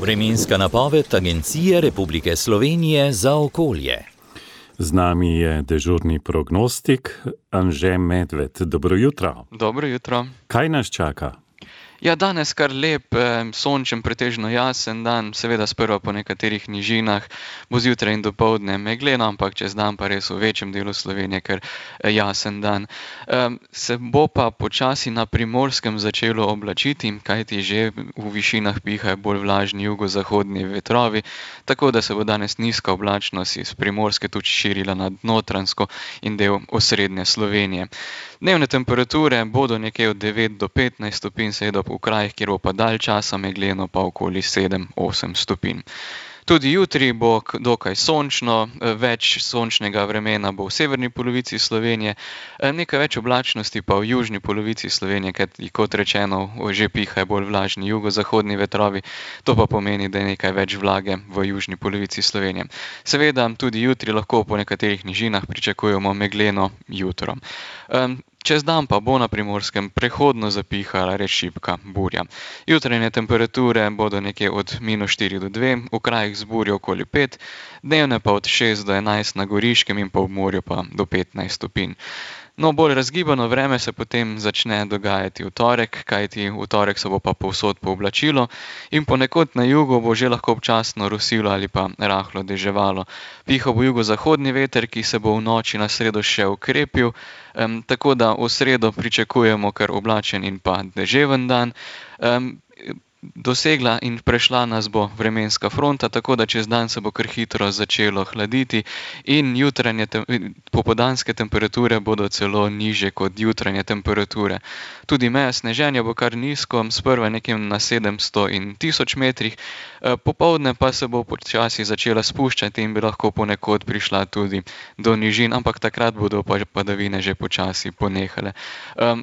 Vremenska napoved Agencije Republike Slovenije za okolje. Z nami je dežurni prognostik Anže Medved. Dobro jutro. Dobro jutro. Kaj nas čaka? Ja, danes kar lep, sončen, pretežno jasen dan, seveda sprva po nekaterih nižinah, bo zjutraj in dopoldne megleno, ampak čez dan pa res v večjem delu Slovenije kar jasen dan. Se bo pa počasi na Primorskem začelo oblačiti, kajti že v višinah pihajo bolj vlažni jugozahodni vetrovi, tako da se bo danes nizka oblačnost iz Primorske tudi širila nad Notranjsko in del osrednje Slovenije. Dnevne temperature bodo nekje od 9 do 15 stopinj, seveda v krajih, kjer bo pa dalj časa megleno, pa okoli 7-8 stopinj. Tudi jutri bo dokaj sončno, več sončnega vremena bo v severni polovici Slovenije, nekaj več oblačnosti pa v južni polovici Slovenije, kot rečeno, že pihajo bolj vlažni jugozahodni vetrovi, to pa pomeni, da je nekaj več vlage v južni polovici Slovenije. Seveda tudi jutri lahko po nekaterih nižinah pričakujemo megleno jutro. Čez dan pa bo na Primorskem prehodno zapihala res šibka burja. Jutranje temperature bodo nekje od -4 do 2, v krajih z burjo okoli 5, dnevne pa od 6 do 11 na Goriškem in pa v morju pa do 15 stopinj. No, bolj razgibano vreme se potem začne dogajati v torek, kajti v torek se bo pa povsod pooblačilo in ponekod na jugu bo že lahko občasno rosilo ali pa rahlo deževalo. Pihal bo jugozahodni veter, ki se bo v noči na sredo še ukrepil, tako da v sredo pričakujemo kar oblačen in pa deževen dan. Dosegla in prešla nas bo vremenska fronta, tako da čez dan se bo kar hitro začelo hladiti in popoldanske temperature bodo celo nižje kot jutranje temperature. Tudi meja sneženja bo kar nizko, sprva nekje na 700 in 1000 metrih, popoldne pa se bo počasi začela spuščati in bi lahko ponekod prišla tudi do nižin, ampak takrat bodo padavine že počasi ponehale.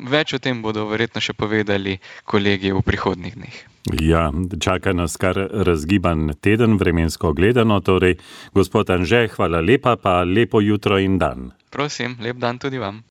Več o tem bodo verjetno še povedali kolegi v prihodnjih dneh. Ja, čaka nas kar razgiban teden, vremensko gledano. Torej, gospod Anže, hvala lepa, pa lepo jutro in dan. Prosim, lep dan tudi vam.